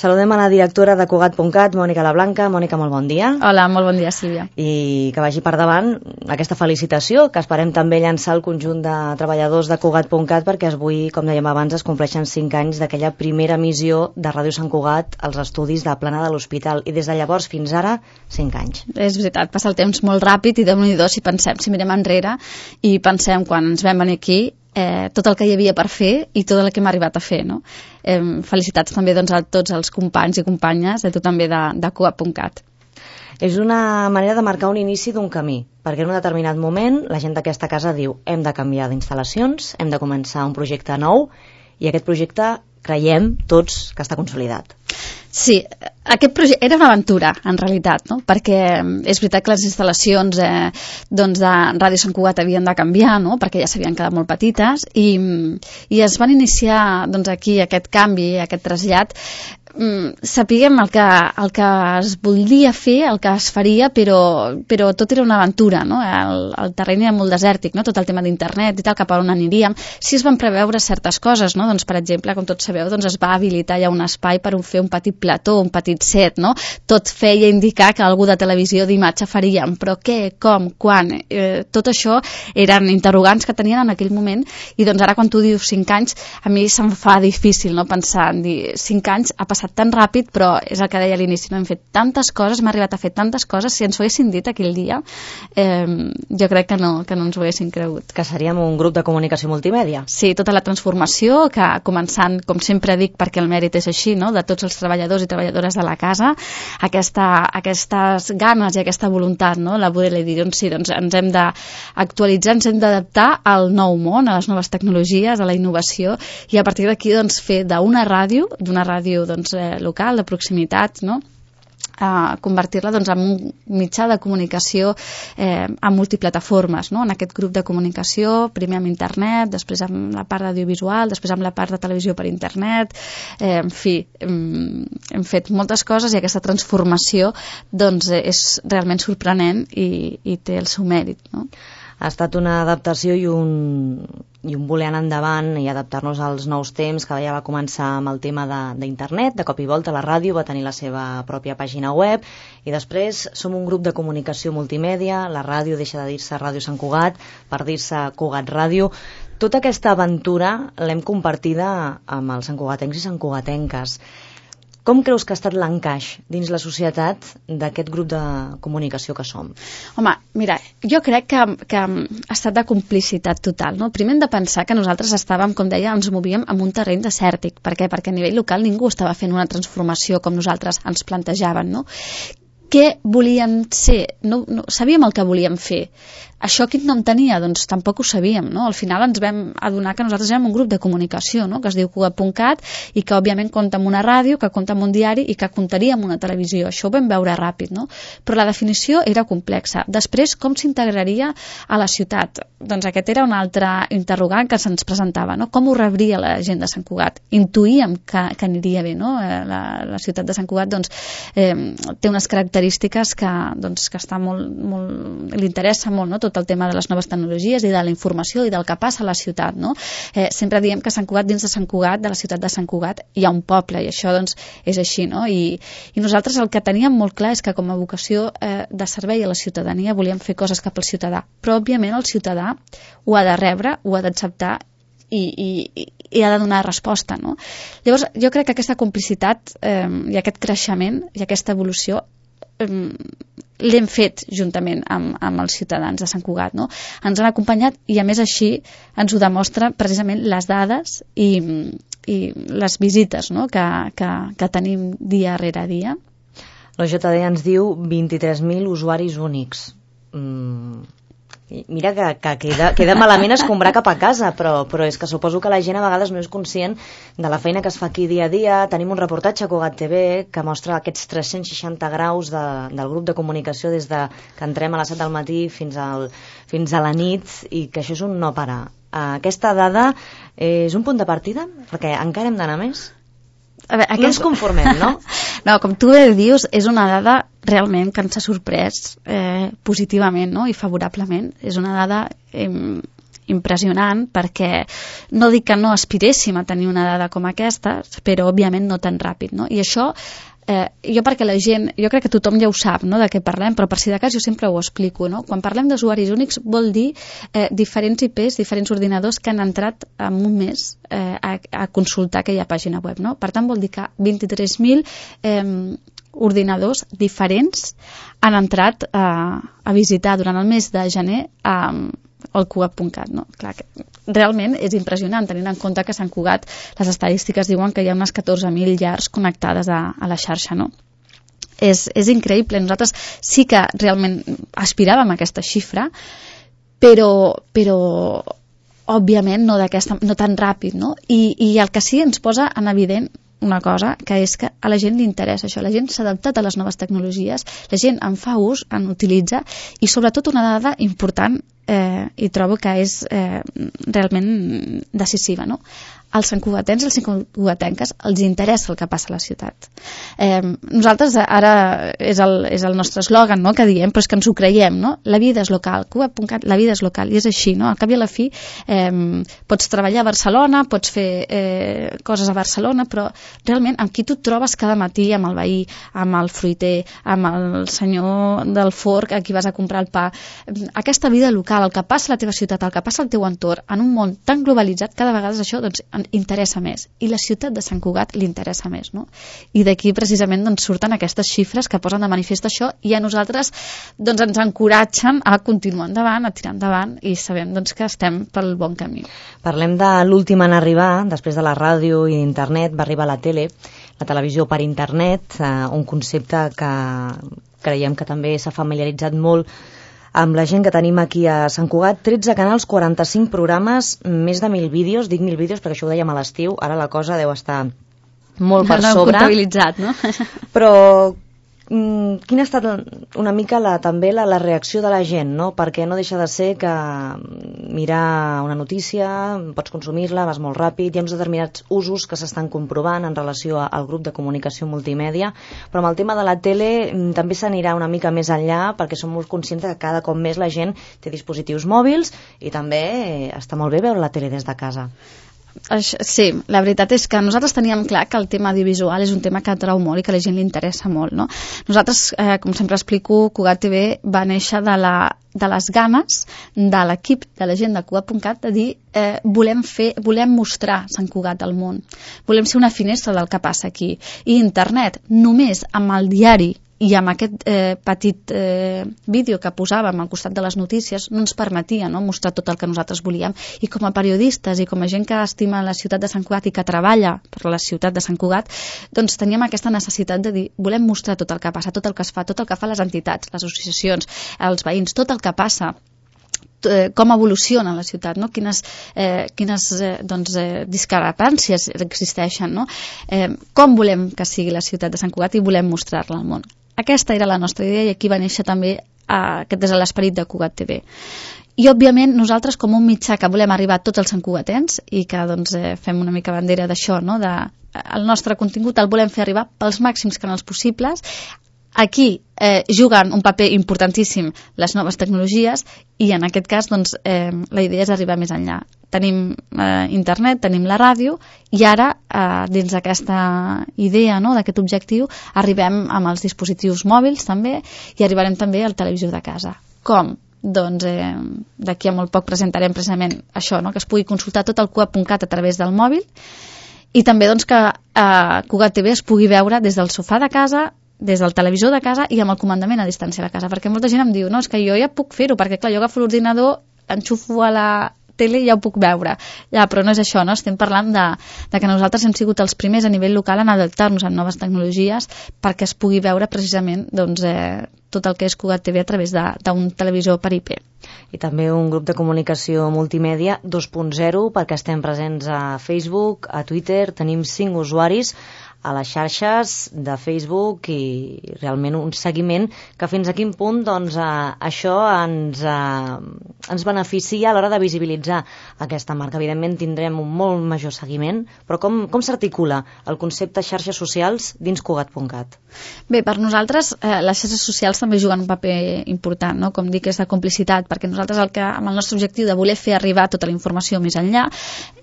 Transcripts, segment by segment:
Saludem a la directora de Cugat.cat, Mònica Lablanca. Mònica, molt bon dia. Hola, molt bon dia, Sílvia. I que vagi per davant aquesta felicitació, que esperem també llançar al conjunt de treballadors de Cugat.cat, perquè avui, com dèiem abans, es compleixen 5 anys d'aquella primera emissió de Ràdio Sant Cugat als estudis de Plana de l'Hospital. I des de llavors fins ara, 5 anys. És veritat, passa el temps molt ràpid i déu-n'hi-do si pensem, si mirem enrere i pensem quan ens vam venir aquí, tot el que hi havia per fer i tot el que hem arribat a fer, no? Felicitats també doncs, a tots els companys i companyes, a tu també de Cugat.cat. És una manera de marcar un inici d'un camí, perquè en un determinat moment la gent d'aquesta casa diu hem de canviar d'instal·lacions, hem de començar un projecte nou i aquest projecte creiem tots que està consolidat. Sí, aquest projecte era una aventura, en realitat, no? Perquè és veritat que les instal·lacions de Ràdio Sant Cugat havien de canviar, no? Perquè ja s'havien quedat molt petites i es van iniciar doncs, aquí aquest canvi, aquest trasllat. Sapiguem el que es volia fer, el que es faria, però tot era una aventura, no? El terreny era molt desèrtic, no? Tot el tema d'internet i tal, cap a on aniríem. Sí es van preveure certes coses, no? Doncs, per exemple, com tots sabeu, doncs es va habilitar ja un espai per fer un petit plató, un petit set, no? Tot feia indicar que algú de televisió d'imatge faríem, però què, com, quan? Tot això eren interrogants que tenien en aquell moment i doncs ara quan tu dius 5 anys, a mi se'm fa difícil, no? Pensar en dir 5 anys ha passat tan ràpid, però és el que deia a l'inici, no? Hem fet tantes coses, hem arribat a fer tantes coses, si ens ho haguessin dit aquell dia, jo crec que no ens ho haguessin cregut. Que seríem un grup de comunicació multimèdia. Sí, tota la transformació, que començant, com sempre dic, perquè el mèrit és així, no? De tots els treballadors i treballadores de la casa, aquestes ganes i aquesta voluntat, no? La poder dir, doncs sí, doncs ens hem d'actualitzar, ens hem d'adaptar al nou món, a les noves tecnologies, a la innovació, i a partir d'aquí doncs, fer d'una ràdio doncs, local, de proximitat, no? Convertir-la doncs, en un mitjà de comunicació amb multiplataformes, no? En aquest grup de comunicació, primer amb internet, després amb la part audiovisual, després amb la part de televisió per internet, en fi, hem fet moltes coses i aquesta transformació doncs, és realment sorprenent i té el seu mèrit, no? Ha estat una adaptació i un voler anar endavant i adaptar-nos als nous temps, que ja va començar amb el tema d'internet, de cop i volta la ràdio va tenir la seva pròpia pàgina web i després som un grup de comunicació multimèdia, la ràdio deixa de dir-se Ràdio Sant Cugat per dir-se Cugat Ràdio. Tota aquesta aventura l'hem compartida amb els santcugatencs i santcugatenques. Com creus que ha estat l'encaix dins la societat d'aquest grup de comunicació que som? Home, mira, jo crec que ha estat de complicitat total, no? Primer hem de pensar que nosaltres estàvem, com deia, ens movíem en un terreny desèrtic. Per què? Perquè a nivell local ningú estava fent una transformació com nosaltres ens plantejaven, no? Què volíem ser? No sabíem el que volíem fer. Això quin nom tenia? Doncs tampoc ho sabíem, no? Al final ens vam adonar que nosaltres érem un grup de comunicació, no? Que es diu Cugat.cat i que òbviament compta amb una ràdio, que compta amb un diari i que comptaria amb una televisió. Això ho vam veure ràpid, no? Però la definició era complexa. Després, com s'integraria a la ciutat? Doncs aquest era un altre interrogant que se'ns presentava, no? Com ho rebria la gent de Sant Cugat? Intuïem que aniria bé, no? La ciutat de Sant Cugat doncs, té unes característiques que està molt li interessa molt, no? Tot el tema de les noves tecnologies i de la informació i del que passa a la ciutat, no? Sempre diem que Sant Cugat, dins de Sant Cugat, de la ciutat de Sant Cugat, hi ha un poble i això doncs és així, no? I nosaltres el que teníem molt clar és que com a vocació de servei a la ciutadania volíem fer coses cap al ciutadà, però òbviament el ciutadà ho ha de rebre, ho ha d'acceptar i ha de donar resposta, no? Llavors jo crec que aquesta complicitat i aquest creixement i aquesta evolució l'hem fet juntament amb els ciutadans de Sant Cugat, no? Ens han acompanyat i a més així ens ho demostra precisament les dades i les visites, no? que tenim dia rere dia. L'OJD ens diu 23.000 usuaris únics. Mira que queda malament escombrar cap a casa, però és que suposo que la gent a vegades no és conscient de la feina que es fa aquí dia a dia. Tenim un reportatge a Cugat TV que mostra aquests 360 graus del grup de comunicació des de que entrem a les 7 del matí fins a la nit i que això és un no parar. Aquesta dada és un punt de partida? Perquè encara hem d'anar més? A veure, no ens conformem, no? No, com tu bé dius, és una dada realment que ens ha sorprès positivament, no? I favorablement. És una dada impressionant, perquè no dic que no aspiréssim a tenir una dada com aquesta, però òbviament no tan ràpid, no? I això jo perquè la gent, jo crec que tothom ja ho sap, no?, de què parlem, però per si de cas jo sempre ho explico, no? Quan parlem d'usuaris únics vol dir diferents IPs, diferents ordinadors que han entrat en un mes a consultar aquella pàgina web, no? Per tant vol dir que 23.000 ordinadors diferents han entrat a visitar durant el mes de gener el Cugat.cat, no? Clar, realment és impressionant, tenint en compte que a Sant Cugat les estadístiques diuen que hi ha unes 14.000 llars connectades a la xarxa, no? És increïble. Nosaltres sí que realment aspiràvem a aquesta xifra, però òbviament no tan ràpid, no? I el que sí ens posa en evident una cosa, que és que a la gent li interessa això, la gent s'ha adaptat a les noves tecnologies, la gent en fa ús, en utilitza, i sobretot una dada important, i trobo que és realment decisiva, no? Als santcugatens i als santcugatenques els interessa el que passa a la ciutat. Nosaltres ara és el nostre eslògan, no?, que diem, però és que ens ho creiem, no? La vida és local, Cugat.cat, la vida és local, i és així, no? Al cap i a la fi pots treballar a Barcelona, pots fer coses a Barcelona, però realment amb qui tu et trobes cada matí, amb el veí, amb el fruiter, amb el senyor del forc a qui vas a comprar el pa, aquesta vida local, el que passa a la teva ciutat, el que passa al teu entorn, en un món tan globalitzat, cada vegada això doncs interessa més, i la ciutat de Sant Cugat li interessa més, no? I d'aquí precisament doncs surten aquestes xifres que posen de manifest això, i a nosaltres doncs ens encoratgen a continuar endavant, a tirar endavant, i sabem doncs que estem pel bon camí. Parlem de l'últim en arribar, després de la ràdio i internet va arribar la tele, la televisió per internet, un concepte que creiem que també s'ha familiaritzat molt amb la gent que tenim aquí a Sant Cugat. 13 canals, 45 programes, més de 1.000 vídeos, dic 1.000 vídeos perquè això ho dèiem a l'estiu, ara la cosa deu estar molt per sobre. Comptabilitzat, no? Però quina ha estat una mica també la reacció de la gent, no? Perquè no deixa de ser que mirar una notícia, pots consumir-la, vas molt ràpid, hi ha uns determinats usos que s'estan comprovant en relació al grup de comunicació multimèdia, però amb el tema de la tele també s'anirà una mica més enllà, perquè som molt conscients que cada cop més la gent té dispositius mòbils i també està molt bé veure la tele des de casa. Sí, la veritat és que nosaltres teníem clar que el tema audiovisual és un tema que atrau molt i que a la gent li interessa molt, no? Nosaltres, com sempre explico, Cugat TV va néixer de les ganes de l'equip de la gent de Cugat.cat de dir volem mostrar Sant Cugat al món, volem ser una finestra del que passa aquí, i internet només amb el diari i amb aquest petit vídeo que posàvem al costat de les notícies no ens permetia, no?, mostrar tot el que nosaltres volíem, i com a periodistes i com a gent que estima la ciutat de Sant Cugat i que treballa per la ciutat de Sant Cugat, doncs teníem aquesta necessitat de dir, volem mostrar tot el que passa, tot el que es fa, tot el que fa les entitats, les associacions, els veïns, tot el que passa, com evoluciona la ciutat, no? Quines discrepàncies existeixen, no? Com volem que sigui la ciutat de Sant Cugat i volem mostrar-la al món. Aquesta era la nostra idea, i aquí va néixer també aquest és l'esperit de Cugat TV. I òbviament nosaltres, com un mitjà que volem arribar a tots els santcugatens i que doncs, fem una mica bandera d'això, no? El nostre contingut el volem fer arribar pels màxims canals possibles. Aquí juguen un paper importantíssim les noves tecnologies, i en aquest cas doncs, la idea és arribar més enllà. Tenim internet, tenim la ràdio, i ara dins d'aquesta idea, no?, d'aquest objectiu, arribem amb els dispositius mòbils també, i arribarem també a la televisió de casa. Com? Doncs d'aquí a molt poc presentarem precisament això, no?, que es pugui consultar tot el Cugat.cat a través del mòbil, i també doncs, que Cugat TV es pugui veure des del sofà de casa, des del televisor de casa i amb el comandament a distància de casa, perquè molta gent em diu, no, és que jo ja puc fer-ho, perquè clar, jo agafo l'ordinador, enxufo a la tele i ja ho puc veure. Ja, però no és això, no? Estem parlant de que nosaltres hem sigut els primers a nivell local en adaptar-nos a noves tecnologies perquè es pugui veure precisament doncs, tot el que és Cugat TV a través d'un televisor per IP. I també un grup de comunicació multimèdia 2.0, perquè estem presents a Facebook, a Twitter, tenim 5 usuaris, a les xarxes de Facebook i realment un seguiment que fins a quin punt doncs, això ens beneficia a l'hora de visibilitzar aquesta marca. Evidentment tindrem un molt major seguiment, però com s'articula el concepte xarxes socials dins Cugat.cat? Bé, per nosaltres les xarxes socials també juguen un paper important, no? Com dic, és de complicitat, perquè nosaltres amb el nostre objectiu de voler fer arribar tota la informació més enllà,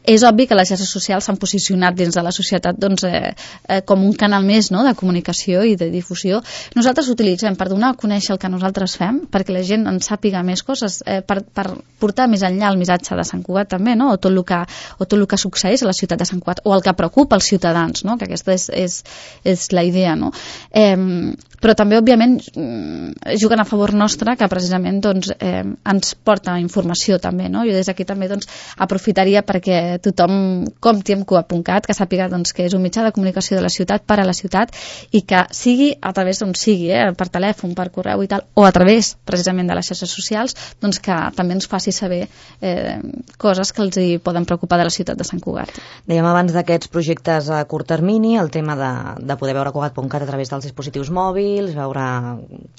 és obvi que les xarxes socials s'han posicionat dins de la societat doncs, com un canal més, no?, de comunicació i de difusió. Nosaltres utilitzem per donar a conèixer el que nosaltres fem, perquè la gent en sàpiga més coses, per portar més enllà el missatge de Sant Cugat també, no?, o tot el que succeeix a la ciutat de Sant Cugat, o el que preocupa els ciutadans, no?, que aquesta és la idea, no? Però també, òbviament, juguen a favor nostre, que precisament doncs, ens porta informació també, no? Jo des d'aquí també doncs, aprofitaria perquè tothom compti amb Cugat.cat, que sàpiga doncs, que és un mitjà de comunicació de la ciutat per a la ciutat i que sigui a través d'on sigui, per telèfon, per correu i tal, o a través precisament de les xarxes socials, doncs que també ens faci saber coses que els hi poden preocupar de la ciutat de Sant Cugat. Dèiem abans d'aquests projectes a curt termini, el tema de poder veure Cugat.cat a través dels dispositius mòbils, veure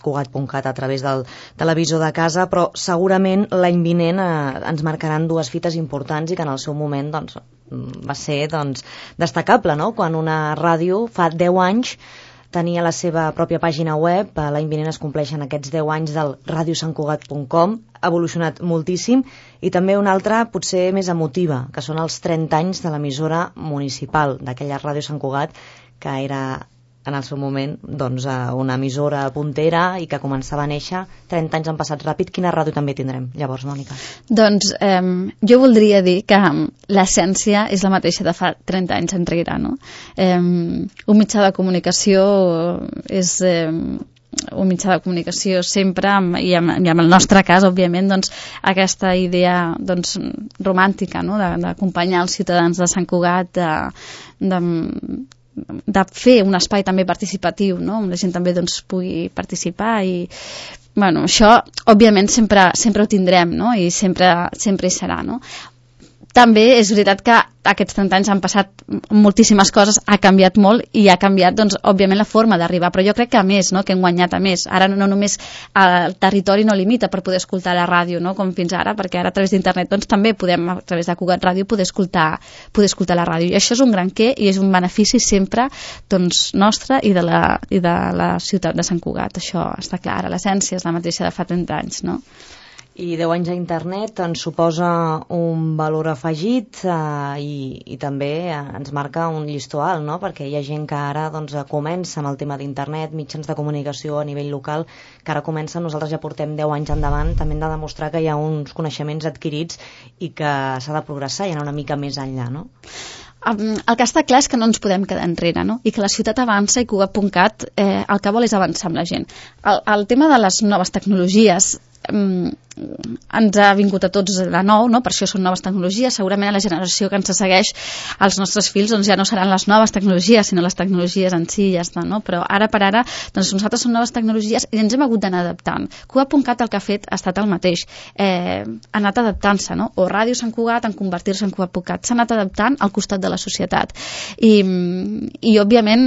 Cugat.cat a través del televisor de casa, però segurament l'any vinent ens marcaran dues fites importants i que en el seu moment doncs, va ser destacable, no? Quan una ràdio fa 10 anys tenia la seva pròpia pàgina web, l'any vinent es compleixen aquests 10 anys del radiosantcugat.com, ha evolucionat moltíssim, i també una altra potser més emotiva, que són els 30 anys de l'emissora municipal d'aquella Ràdio Sant Cugat, que era en el seu moment doncs, una emissora puntera i que començava a néixer. 30 anys han passat ràpid. Quina ràdio també tindrem llavors, Mònica? Doncs jo voldria dir que l'essència és la mateixa de fa 30 anys enrere, no? Un mitjà de comunicació és un mitjà de comunicació sempre, i en el nostre cas, òbviament, doncs, aquesta idea doncs, romàntica, no? D'acompanyar els ciutadans de Sant Cugat, de fer un espai també participatiu, no? On la gent també doncs, pugui participar i bueno, això òbviament sempre ho tindrem, no? I sempre hi serà, no? També és veritat que aquests 30 anys han passat moltíssimes coses, ha canviat molt i ha canviat, doncs, òbviament, la forma d'arribar, però jo crec que a més, no?, que hem guanyat a més. Ara no només el territori no limita per poder escoltar la ràdio, no?, com fins ara, perquè ara a través d'internet doncs, també podem, a través de Cugat Ràdio, poder escoltar la ràdio. I això és un gran què i és un benefici sempre doncs, nostre i de la ciutat de Sant Cugat. Això està clar, l'essència és la mateixa de fa 30 anys, no? I 10 anys a internet ens suposa un valor afegit i també ens marca un llistó alt, no? Perquè hi ha gent que ara doncs, comença amb el tema d'internet, mitjans de comunicació a nivell local, que ara comença, nosaltres ja portem 10 anys endavant, també hem de demostrar que hi ha uns coneixements adquirits i que s'ha de progressar i anar una mica més enllà, no? El que està clar és que no ens podem quedar enrere, no? I que la ciutat avança i Cugat.cat el que vol és avançar amb la gent. El tema de les noves tecnologies ens ha vingut a tots de nou, no? Per això són noves tecnologies. Segurament a la generació que ens segueix, els nostres fills doncs, ja no seran les noves tecnologies, sinó les tecnologies en si, ja està, no? Però ara per ara, doncs nosaltres són noves tecnologies i ens hem hagut d'anar adaptant. Cugat.cat el que ha fet ha estat el mateix, ha anat adaptant-se, no? O Ràdio Sant Cugat en convertir-se en Cugat.cat, s'ha anat adaptant al costat de la societat. I òbviament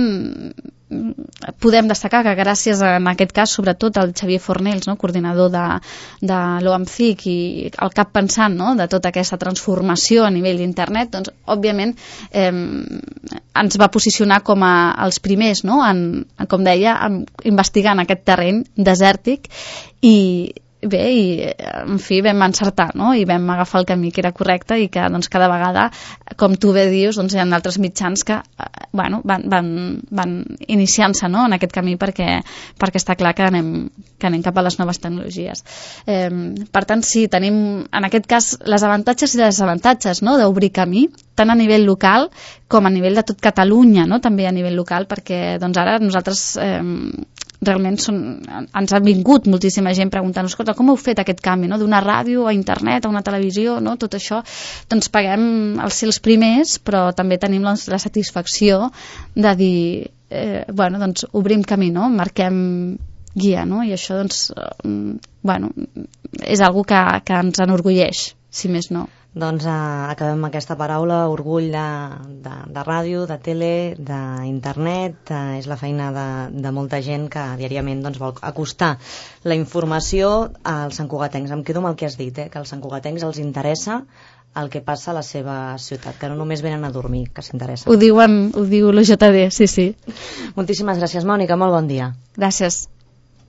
podem destacar que gràcies en aquest cas sobretot al Xavier Fornells, no? Coordinador de l'OAMCIC i el cap pensant, no? De tota aquesta transformació a nivell d'internet, doncs òbviament ens va posicionar com els primers, no? Com deia, investigant aquest terreny desèrtic i bé, i en fi, vam encertar, no? I vam agafar el camí que era correcte i que doncs, cada vegada, com tu bé dius, doncs, hi ha altres mitjans que bueno, van iniciant-se, no? En aquest camí perquè està clar que anem cap a les noves tecnologies. Per tant, sí, tenim en aquest cas les avantatges i les desavantatges, no? D'obrir camí, tant a nivell local com a nivell de tot Catalunya, no? També a nivell local, perquè doncs, ara nosaltres realment ens ha vingut moltíssima gent preguntant, escolta, com heu fet aquest canvi, no? D'una ràdio a internet, a una televisió, no? Tot això, doncs paguem els ser els primers, però també tenim la satisfacció de dir, bueno, doncs obrim camí, no? Marquem guia, no? I això, doncs, bueno, és algo que ens enorgulleix, si més no. Doncs acabem aquesta paraula, orgull de ràdio, de tele, d'internet, és la feina de molta gent que diàriament doncs, vol acostar la informació als santcugatencs. Em quedo amb el que has dit, que als santcugatencs els interessa el que passa a la seva ciutat, que no només venen a dormir, que s'interessa. Ho diu l'UJD, sí. Moltíssimes gràcies, Mònica, molt bon dia. Gràcies.